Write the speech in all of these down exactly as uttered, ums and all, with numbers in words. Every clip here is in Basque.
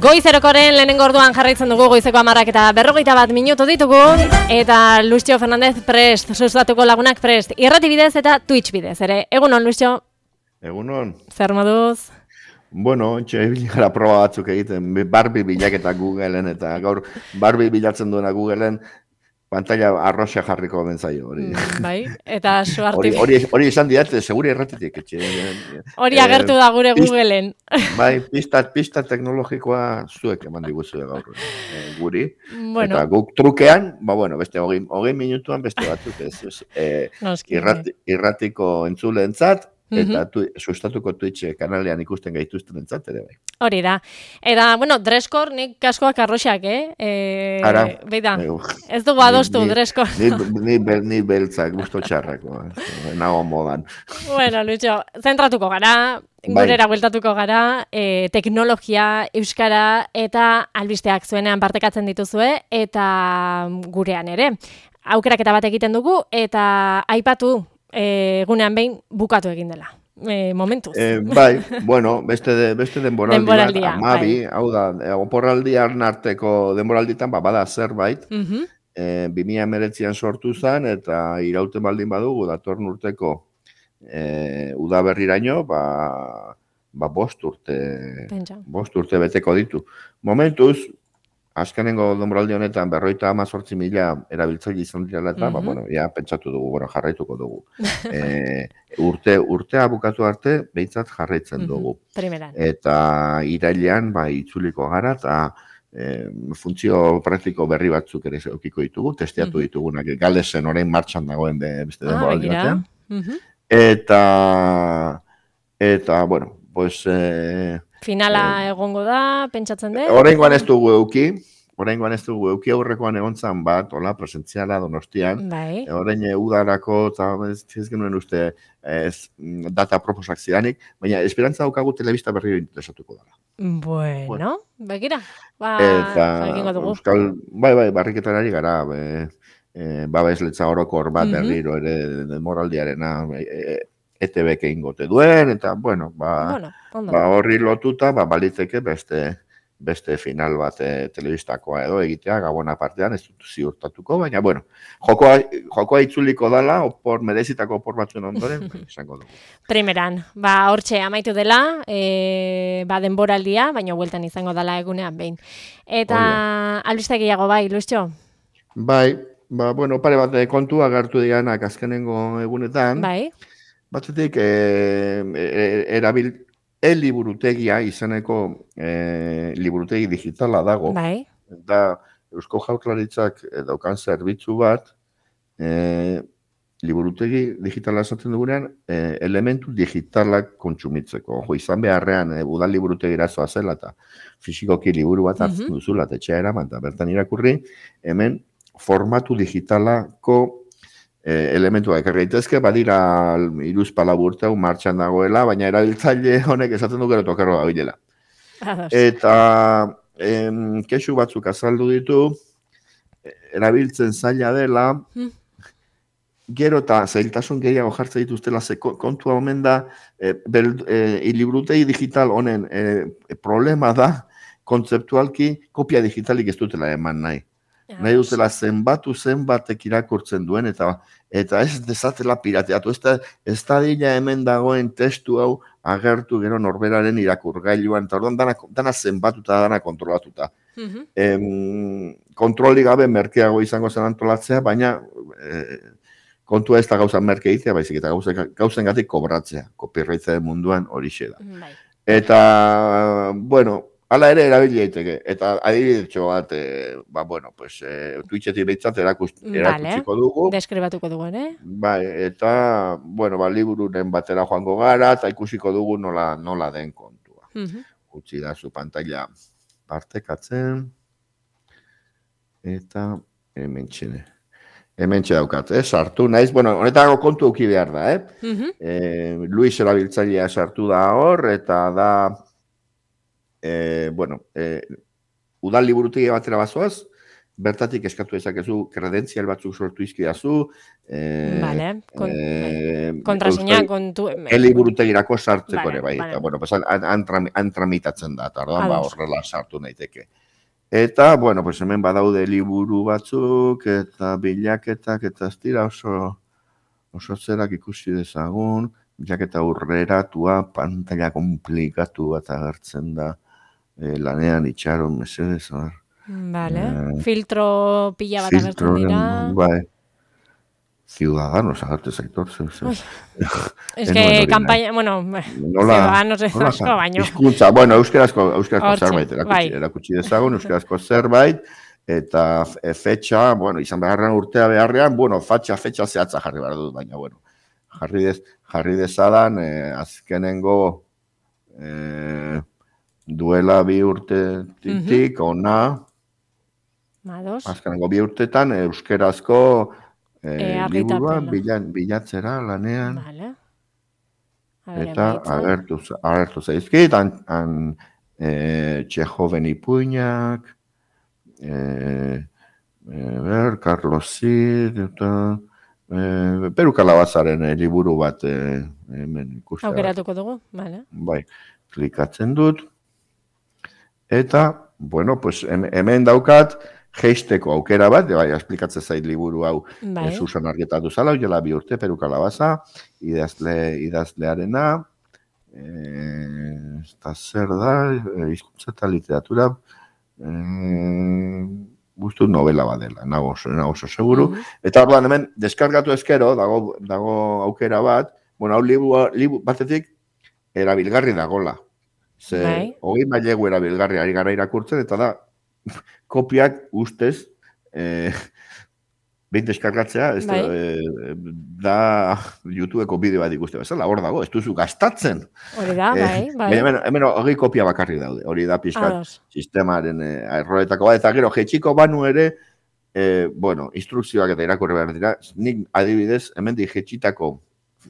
Goizerokoren lehenengo orduan jarraitzen dugu goizeko hamarrak eta berrogeita bat minutu ditugu eta Lucio Fernandez prest, sustatuko lagunak prest, irrati bidez eta Twitch bidez, ere. Egunon, Lucio? Egunon. Zer moduz? Bueno, ontsa gara proba batzuk egiten, Barbie bilaketa Googleen eta gaur Barbie bilatzen duena Googleen pantalla arroxa jarriko benzaio hori. Mm, bai, eta suarti... Hori hori esan diat, seguri erratitik. Hori agertu da gure Googleen. Bai, pista, pista teknologikoa zuek eman diguzue gaur eh, guri. Bueno. Eta guk trukean, ba bueno, beste hogei, hogei minutuan beste batzuk ez. ez eh, irrati, irratiko entzuleentzat, eta tu, sustatuko Twitch kanalean ikusten gaituzten entzat ere bai. Hori da. Eta, bueno, dreskor nik kaskoak arroxak, eh? E, Ara. Beida, ez dugu adostu dreskor. Ni, ni, ni, ni beltzak, gusto txarrako, nago modan. Bueno, Lucho, zentratuko gara, gurera bueltatuko gara, e, teknologia, euskara eta albisteak zuenean partekatzen dituzue, eta gurean ere. Aukeraketa bat egiten dugu, eta aipatu, egunean behin bukatu egin dela. E, momentuz. Eh, bai, bueno, beste, de, beste denboraldi denboraldia, bat, amabi, bai. Hau da, oporraldian arteko denboralditan, ba, bada zerbait, uh -huh. e, bi mila hemeretzian sortu zen, eta irauten baldin badugu, datorn urteko e, udaberriraino, ba, ba bost urte, Pentsa. bost urte beteko ditu. Momentuz, azkenengo denboraldi honetan berroita hamazortzi mila erabiltzaile izan direla eta, mm -hmm. ba, bueno, ja, pentsatu dugu, bueno, jarraituko dugu. e, urte, urtea bukatu arte, behintzat jarraitzen dugu. Primeran. Eta irailean, ba, itzuliko gara, eta e, funtzio praktiko berri batzuk ere eukiko ditugu, testeatu ditugunak, Galesen orain martxan dagoen beste denboraldi batean. Eta, eta, bueno, pues... E, Finala egongo da, pentsatzen dut? Oraingoan ez dugu euki, oraingoan ez dugu euki aurrekoan egontzan bat, hola, presentziala Donostian. Bai. Orain udarako, eta ez, ez genuen uste ez, data proposak zidanik, baina esperantza daukagu telebista berri interesatuko dara. Bueno, bueno. Begira, ba, eta, dugu. Euskal, bai, bai, barriketan ari gara, be, e, babesletza orokor bat mm -hmm. berriro ere demoraldiarena, e, E T B-k ingote duen, eta, bueno, ba, bueno, ba horri lotuta, ba, balitzeke beste, beste final bat e, telebistakoa edo egitea, gabona partean, ez dut ziurtatuko, baina, bueno, jokoa, jokoa itzuliko dala, opor, merezitako opor batzuen ondoren, izango dugu. Primeran, ba, hortxe amaitu dela, e, ba, denboraldia, baina bueltan izango dela egunean behin. Eta, albiste gehiago bai, Lucio? Bai, ba, bueno, pare bat kontu agertu dianak azkenengo egunetan. Bai. Batzetik, e, e, erabil, e-liburutegia izeneko e, liburutegi digitala dago. Bai. Eta Eusko Jaurlaritzak daukan zerbitzu bat, e, liburutegi digitala esaten dugunean, e, elementu digitalak kontsumitzeko. Jo, izan beharrean, e, udal liburutegi irazoa zela, eta fisikoki liburu bat hartzen uh-huh. duzula, eta etxea eraman, eta bertan irakurri, hemen formatu digitalako elementua ekarri daitezke, badira hiruzpalau urte hau martxan dagoela, baina erabiltzaile honek esaten du gero tokerro gabilela. Eta em, kexu batzuk azaldu ditu, erabiltzen zaila dela, hmm. gero eta zailtasun gehiago jartzen dituztela, ze kontua omen da, e, e, liburutegi digital honen e, problema da, kontzeptualki kopia digitalik ez dutela eman nahi. Nahi dutela zenbatu zenbatek irakurtzen duen, eta eta ez dezatela pirateatu. Ez da, ez da dila hemen dagoen testu hau agertu gero norberaren irakurgailuan, eta orduan dana, dana zenbatuta, dana kontrolatuta. Uh-huh. em, kontroli gabe merkeago izango zen antolatzea, baina e, kontua ez da gauza merke egitea, baizik eta gauzen gatik kobratzea, copyrightzen munduan horixe da. Uh-huh. Eta, bueno, hala ere erabili daiteke, eta adibidetxo bat, e, ba, bueno, pues, e, Twitchetik behitzat erakutsiko dugu. Deskribatuko dugu, ere? Bai, eta, bueno, ba, libururen batera joango gara, eta ikusiko dugu nola, nola den kontua. Uh-huh. Utsi da zu pantalla partekatzen, eta hemen txene. Hemen daukat, eh? Sartu naiz, bueno, honetako kontu euki behar da, eh? Uh-huh. e, Luis erabiltzailea sartu da hor, eta da... E, bueno, e, udal liburutegi batera bazoaz, bertatik eskatu ezakezu kredentzial batzuk sortu izkidazu, eh, Vale, kon, eh, kontraseina kontu... eliburutegirako sartzeko Vale, ere, bai, vale. eta, bueno, pues, han, han, tram- han tramitatzen da, eta orduan, ba, Ados. horrela sartu naiteke. Eta, bueno, pues hemen badaude liburu batzuk, eta bilaketak, eta ez dira oso, oso zerak ikusi dezagun, bilaketa aurreratua, pantalla komplikatu bat agertzen da, eh, lanean itxaron, mesedez, bar. Vale, Eh, filtro pila bat agertzen dira. Filtroren, bai, Ciudadanos agertu zaitor, zer, zer. Ez Ez que nuen hori kampaina, bueno, Nola, Ciudadanos ez nola asko baino. hizkuntza, bueno, euskarazko, euskarazko Hortxe, zerbait erakutsi, bai. erakutsi dezagun, euskarazko zerbait, eta e, fetxa, bueno, izan beharrean urtea beharrean, bueno, fatxa, fetxa zehatza jarri behar dut, baina, bueno, jarri, dez, jarri dezadan, eh, azkenengo eh, duela bi urtetik, ona, Ados. azkenengo bi urtetan, euskarazko E, eh, liburua argitarpena. bilan, bilatzera lanean. Vale. A ver, Eta emaitza. agertu, agertu zaizkit, han, han e, Txehoven ipuinak, e, e, ber, Carlos Cid, eta e, Peru Kalabazaren e, liburu bat e, hemen ikusten. Aukeratuko dugu, vale. Bai, klikatzen dut. Eta, bueno, pues hemen daukat, geisteko aukera bat, bai, esplikatzen zait liburu hau Bai. e, Susan argitatu zala, jola bi urte, Peru Kalabaza, idazle, idazlearena, eh, eta zer da, eh, hizkuntza eta literatura, eh, guztu novela badela, nago oso, nago oso seguru. Mhm. Eta orduan hemen, deskargatu ezkero, dago, dago aukera bat, bueno, hau liburu, liburu batetik, erabilgarri dagola. Ze, Bai. hogei mailegu erabilgarri ari gara irakurtzen, eta da, kopiak ustez, eh, behin deskargatzea, ez da, Bai. eh, da YouTubeko bideo bat ikuste bezala, hor dago, ez duzu gastatzen. Hori da, bai, bai. Baina hemen, hemen hogei kopia bakarri daude, hori da pixkat Ados. sistemaren eh, erroetako bat, eta gero, jetxiko banu ere, eh, bueno, instrukzioak eta irakurri behar dira, nik adibidez, hemen di jetxitako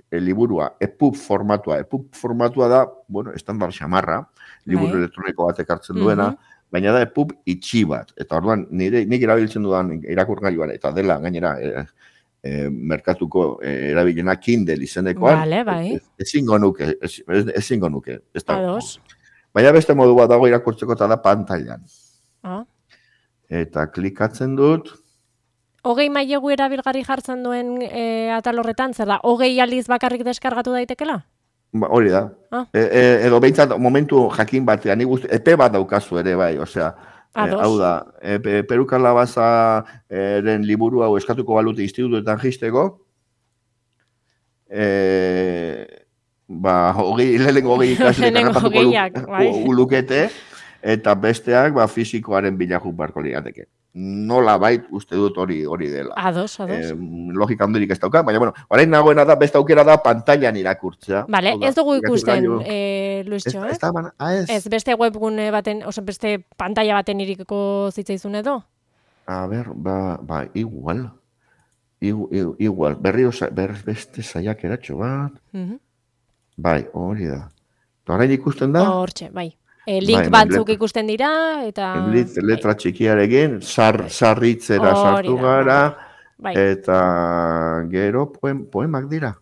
eh, liburua, EPUB formatua, EPUB formatua da, bueno, estandar xamarra, liburu Bai. elektroniko bat ekartzen duena, Mhm. baina da EPUB itxi bat. Eta orduan, nire, nik erabiltzen dudan irakurgailuan, eta dela gainera, e, e, merkatuko e, erabilena Kindle izenekoan, Vale, bai. ez- ezingo nuke, ez- ez- ezingo nuke. Ez da, Ados. baina beste modu bat dago irakurtzeko eta da pantailan. Ah. Eta klikatzen dut, Hogei mailegu erabilgarri jartzen duen e, atal horretan, zer da, hogei aldiz bakarrik deskargatu daitekela? ba, hori da. Ah. E, e, edo behintzat momentu jakin batean, nik uste, epe bat daukazu ere bai, osea, e, Ados. hau da, e, Pe- Peru Kalabazaren liburu hau eskatuko balute institutuetan jisteko, e, ba, hogei, lehenengo hogei ikasle Lehenengo harrapatuko hogeiak, lu- bai. u- lukete, eta besteak ba, fisikoaren bilakuk barko lirateke. Nola bait, uste dut hori hori dela. Ados, ados. Eh, logika handirik ez dauka, baina, bueno, orain nagoena da, beste aukera da, pantailan irakurtzea. Vale, Hau da, ez dugu ikusten, irakurgailu- e, Ez, Luistxo, ez ez? da, bana, ah, ez. Ez, beste webgune baten, oso beste pantalla baten irikiko zitzaizun edo? A ber, ba, ba, igual. Igu, igu, igual, berri osa, ber, beste saiak eratxo bat. Mhm. Bai, hori da. Eta orain ikusten da, Hortxe, bai. E, link Bai, batzuk letra- ikusten dira, eta... lit- letra txikiarekin, sar, sarritzera Hori sartu da, gara, Bai, eta gero poem, poemak dira.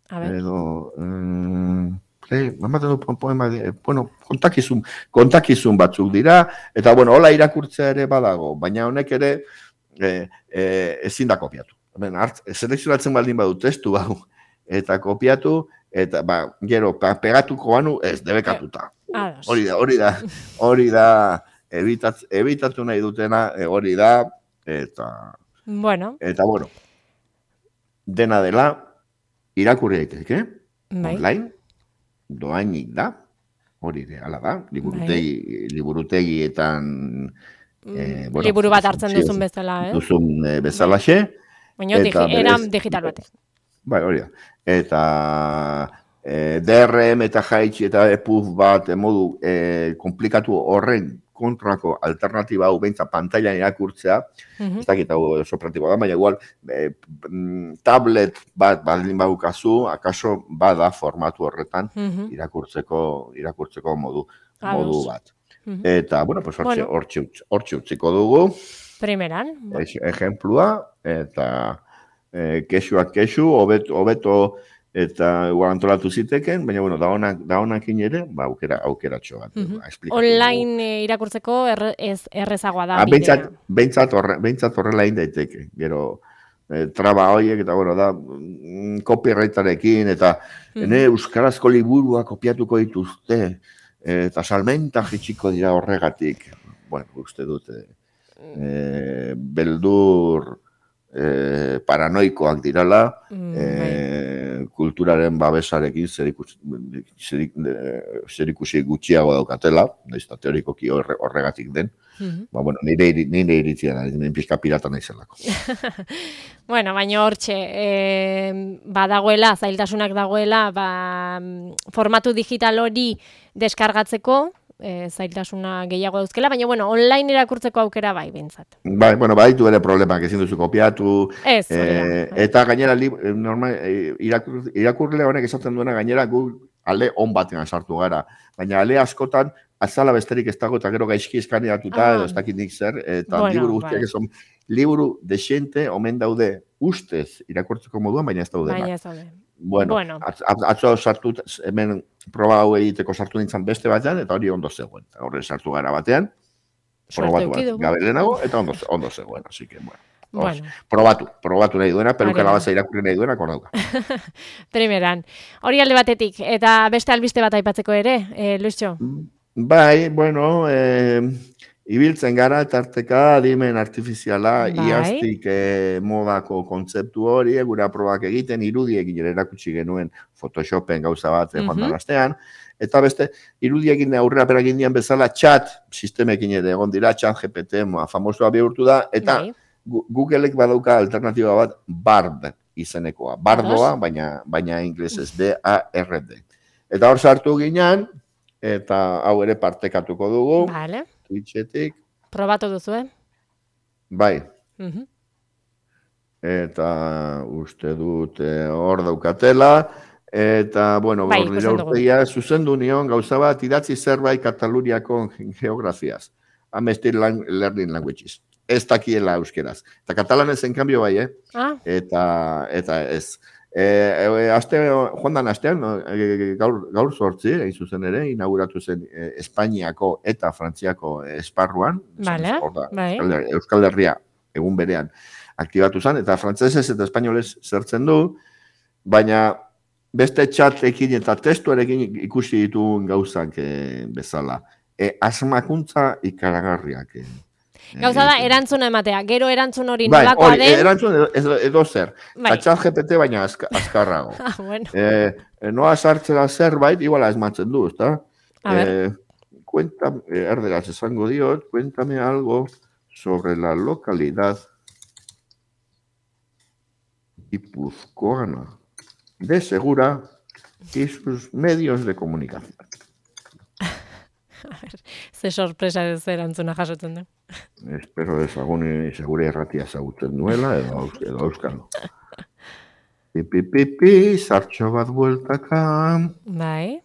a ber. Edo, mm, play, ematen du po- poemak dira, bueno, kontakizun, kontakizun batzuk dira, eta bueno, hola irakurtzea ere badago, baina honek ere e, e, ezin da kopiatu. Hemen, hart, selekzionatzen baldin badu testu hau, eta kopiatu, eta ba, gero, pa, pegatuko banu, ez, debekatuta. Ados. Hori da, hori da, hori da, ebitat, ebitatu nahi dutena, e, hori da, eta, Bueno, eta bueno, dena dela, irakurri daiteke, bai. online, doainik da, hori de, ala da, liburutegi, liburutegietan, eh, bueno, Liburu bat hartzen sí, duzun bezala, eh? duzun eh, bezalaxe, Baina digi, eta eran berez- digital batean. bai, hori da, eta eh, D R M eta jaitsi eta EPUB bat eh, modu eh, komplikatu horren kontrako alternatiba hau beintza pantailan irakurtzea, Mhm. ez dakit hau oso praktikoa da, baina igual eh, mm, tablet bat baldin badukazu, akaso bada formatu horretan Mhm. irakurtzeko irakurtzeko modu Ados. modu bat. Mhm. Eta bueno, pues hortxe Bueno. hortxe utz- hortxe utziko dugu. Primeran. Ejemplua, eta e, kexuak kexu, hobeto, hobeto eta igual antolatu ziteken, baina, bueno, da honak, da honakin ere, ba, aukera, aukeratxo bat. Uh-huh. Ba, online e, irakurtzeko erre, ez, errezagoa da ah, bidea. Bentsat, bentsat, horre, bentsat horrela daiteke, gero, e, traba horiek, eta, bueno, da, mm, copyrightarekin, eta, uh-huh. ene, euskarazko liburua kopiatuko dituzte, eta salmenta jitsiko dira horregatik. Bueno, uste dute, e, beldur e, paranoikoak dirala, mm, e, kulturaren babesarekin zerikusi gutxiago daukatela, nahiz eta teorikoki horre, horregatik den. Mm-hmm. Ba, bueno, nire, nire iritzia da, nire pixka pirata naizelako. Bueno, baina hortxe, e, badagoela, zailtasunak dagoela, ba, formatu digital hori deskargatzeko, e, zailtasuna gehiago dauzkela, baina, bueno, online irakurtzeko aukera bai, bintzat. Bai, bueno, bai, du ere problemak ezin duzu kopiatu. Ez, e, eta gainera, normal, irakur, irakurle honek esaten duena gainera, gu ale on batean sartu gara. Baina ale askotan, azala besterik ez dago, eta gero gaizki eskaneatuta, ah. edo ez dakit nik zer, eta bueno, liburu guztiak bai. Eson, liburu desente, omen daude ustez irakurtzeko moduan, baina ez daude. Baina ez daude. Bueno, bueno. Atzo sartu, hemen proba hau egiteko sartu nintzen beste batean, eta hori ondo zegoen. Horre sartu gara batean, probatu bat, gabelenago, eta ondo, ondo zegoen, así que, bueno. Bueno. Probatu, probatu nahi duena, peruka labaza irakurri nahi duena, konauka. Primeran, hori alde batetik, eta beste albiste bat aipatzeko ere, eh, Luisio? Bai, bueno, eh, ibiltzen gara, tarteka, adimen artifiziala, bai. Iaztik eh, modako kontzeptu hori, gure probak egiten, irudiekin ere erakutsi genuen Photoshopen gauza bat, mm-hmm. joan dan astean, eta beste, irudiekin aurrera peragin dian bezala, chat sistemekin ere egon dira, chat G P T, famosoa bihurtu da, eta bai. Googleek badauka alternatiba bat Bard izenekoa. Bardoa, baina, baina inglesez B A R D. Eta hor sartu ginean, eta hau ere partekatuko dugu. Vale. Twitchetik. Probatu duzu, eh? Bai. Uh-huh. Eta uste dut hor daukatela. Eta, bueno, bai, nire urteia zuzendu nion gauza bat idatzi zerbait Kataluniako geografiaz. Amnesty Learning Languages. Ez dakiela euskeraz. Eta katalanez en cambio bai, eh? Ah. Eta, eta ez. E, e, aste, joan dan astean, gaur, gaur sortzi, egin zuzen ere, inauguratu zen e, Espainiako eta Frantziako esparruan. Vale, bai. Euskal, Euskal Herria egun berean aktibatu zen, eta frantzesez eta espainolez zertzen du, baina beste txatekin eta testuarekin ikusi dituen gauzak e, bezala. E, asmakuntza ikaragarriak. E. Gauza da, erantzuna ematea. Gero erantzun hori nolakoa den... Bai, erantzun edo, edo zer. Bai. Chat G P T baina azkarrago. Ah, bueno. Eh, noa sartzera zerbait, iguala esmatzen du, ezta? A ver. Eh, cuéntame, erderaz esango diot, cuéntame algo sobre la localidad guipuzcoana de Segura y sus medios de comunicación. A ver, ze sorpresa ez erantzuna jasotzen du. Espero ezaguni segure erratia ezagutzen duela, edo, edo euskalo. Pipi, pipi, sartxo bat bueltaka. Bai.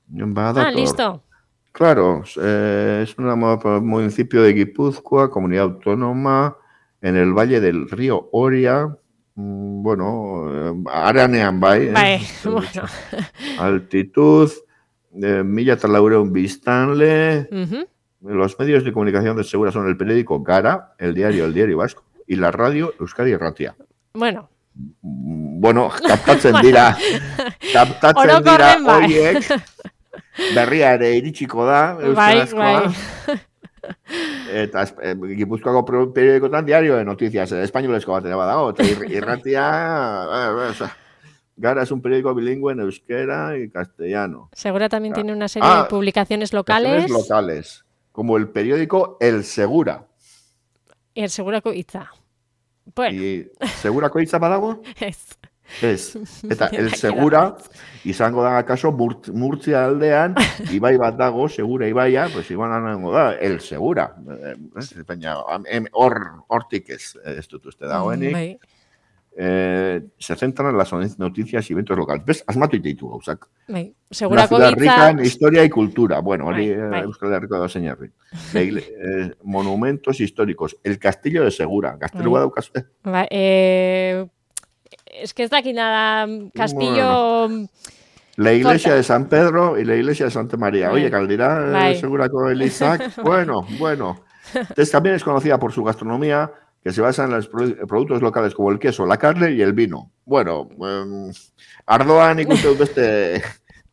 Badator. Ah, listo. Claro, eh, es un municipio de Guipúzcoa, comunidad autónoma, en el valle del río Oria. Mm, bueno, aranean bai. Bai, eh. bueno. Altitud. De Milla Talaureun Biztanle. Uh-huh. Los medios de comunicación de Segura son el periódico Gara, el diario El Diario Vasco y la radio Euskadi Irratia. Bueno. Bueno, kaptatzen dira. Kaptatzen dira horiek. Berria ere iritsiko da, euskarazkoa. Bai, bai. Eta eh, Gipuzkoako periodikotan diario de noticias, espainolezko bat ere badago, eta irratia... Eh, eh, Gara es un periódico bilingüe en euskera y castellano. Segura también tiene una serie ah, de publicaciones locales. locales, como el periódico El Segura. Y El Segurako Hitza. Bueno. ¿Y Segurako Hitza badago? Ez. Ez. Eta El Segura, izango da akaso Murtzia aldean, ibai bat dago, Segura ibaia, pues igual anango da, El Segura. Baina, hor, hortik ez, ez dut uste dagoenik. eh, se centran en las noticias y eventos locales. ¿Ves? Asmatu ititu gauzak. Bai, Una segurako ciudad rica hitza... en historia y cultura. Bueno, hori Bai, bai. Euskal Herriko da zein eh, monumentos históricos. El Castillo de Segura. Gaztelua Bai. daukazu. Eh? Ba, eh, es que ez dakit nada, Castillo... Bueno. La iglesia de San Pedro y la iglesia de Santa María. Bai. Oye, Caldera, Bai. eh, Segurako Elizak. Bueno, bueno. Entonces también es conocida por su gastronomía, que se basa en los productos locales como el queso, la carne y el vino. Bueno, eh, ardoan ikuste dut beste,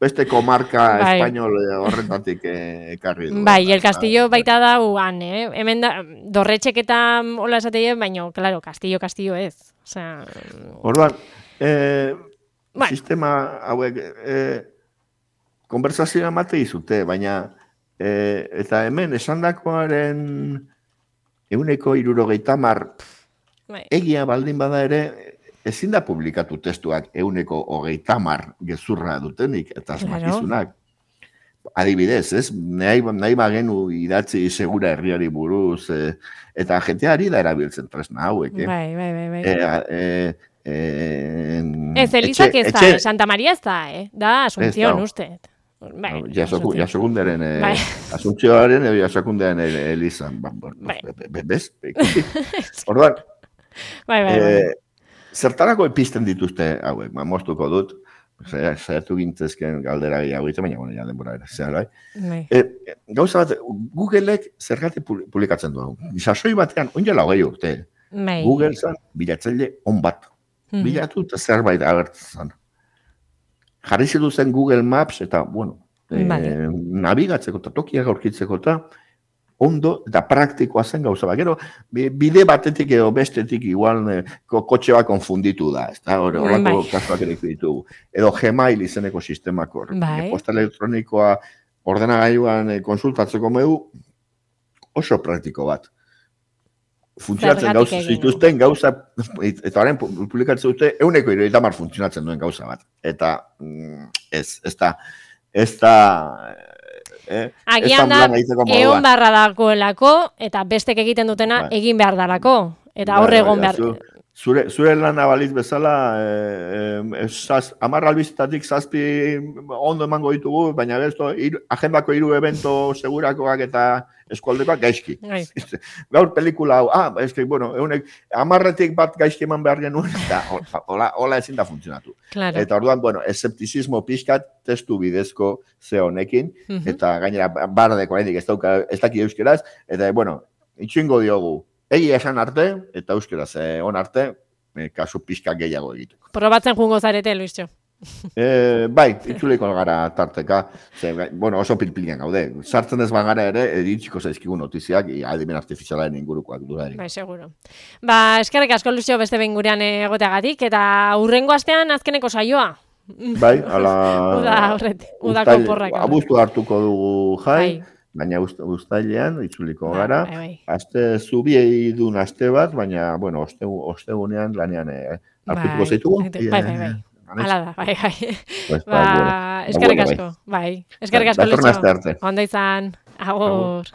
beste comarca Bai. español horretatik ekarri du. Bai, el Castillo baita da uan, eh? Hemen da, dorretxek eta hola esateie, baina, claro, Castillo, Castillo ez. O sea... Orduan, eh, bueno. Sistema hauek eh, konversazioa mate izute, baina eh, eta hemen esandakoaren euneko hirurogeita hamar egia baldin bada ere, ezin da publikatu testuak euneko hogeita hamar gezurra dutenik eta asmakizunak. Adibidez, ez? Nahi, nahi bagenu idatzi segura herriari buruz, eh, eta jenteari da erabiltzen tresna hauek. Eh? Bai, bai, bai. bai. Eh, eh, eh, ez, Elizak ez da, etxe, Santa Maria ez da, eh? Da, Asunción, uste. Bai, jasokunderen, bai. Asuntxioaren edo jasokundearen Elizan. Bai. Bez? Orduan, bai, bai, bai. Eh, zertarako episten dituzte hauek, ma, moztuko dut, zertu gintzezken galdera gehiago ite, baina, bueno, ja denbora era, zehar, bai. Eh, gauza bat, Googleek zergatik publikatzen du hau. Sasoi batean, onjela hogei urte, bai. Google zan bilatzaile on bat. Hmm. Bilatu eta zerbait agertzen. Jarri zen Google Maps eta, bueno, vale. eh, nabigatzeko eta tokiak aurkitzeko eta ondo eta praktikoa zen gauza bat. Gero, bide batetik edo bestetik igual eh, kotxe bat konfunditu da. Ez da, horrelako kasuak ere ditugu. Edo Gmail izeneko sistemako. Bai. Posta elektronikoa ordenagailuan eh, konsultatzeko medu oso praktiko bat. Funtzionatzen gauza zituzten gauza, eta horren publikatzen dute, euneko hirurogeita hamar funtzionatzen duen gauza bat. Eta ez, ez da, ez da, eh, agian da, egon beharra dagoelako, eta bestek egiten dutena ba. egin behar darako. Eta horre egon behar... Zure, zure lana baliz bezala, eh, eh, zaz, amar albizitatik zazpi ondo emango ditugu, baina besto, ir, agendako hiru evento segurakoak eta eskualdekoak gaizki. Gaur pelikula hau, ah, eski, bueno, eunek, amarretik bat gaizki eman behar genuen, eta hola, hola ezin da funtzionatu. Claro. Eta orduan, bueno, esceptizismo pixkat testu bidezko ze honekin, uh-huh. eta gainera bardeko oraindik ez dauka, ez daki euskeraz, eta, bueno, itxingo diogu. Egi esan arte, eta euskeraz on arte, eh, kasu pixka gehiago egiteko. Probatzen jungo zarete, Luisio. eh, bai, itxuliko gara tarteka, ze, bueno, oso pilpilian gaude. Sartzen ez bagara ere, editxiko zaizkigu notiziak, adimen artifizialaren ingurukoak dudarik. Bai, seguro. Ba, eskerrik asko, Luisio, beste behin gurean egoteagatik, eta hurrengo astean azkeneko saioa. Bai, ala... Uda, horret, udako porrak. Abuztu hartuko dugu jai. Bai. Baina uztailean, itzuliko gara, ba, bai, bai. Aste zubiei dun aste bat, baina, bueno, ostegunean lanean eh, hartuko bai, zaitugu. Bai, bai, bai. Hala da, bai, bai. Pues, ba, ba, eskerrik asko, bai. Eskerrik asko, Lucho. Ondo izan, agur.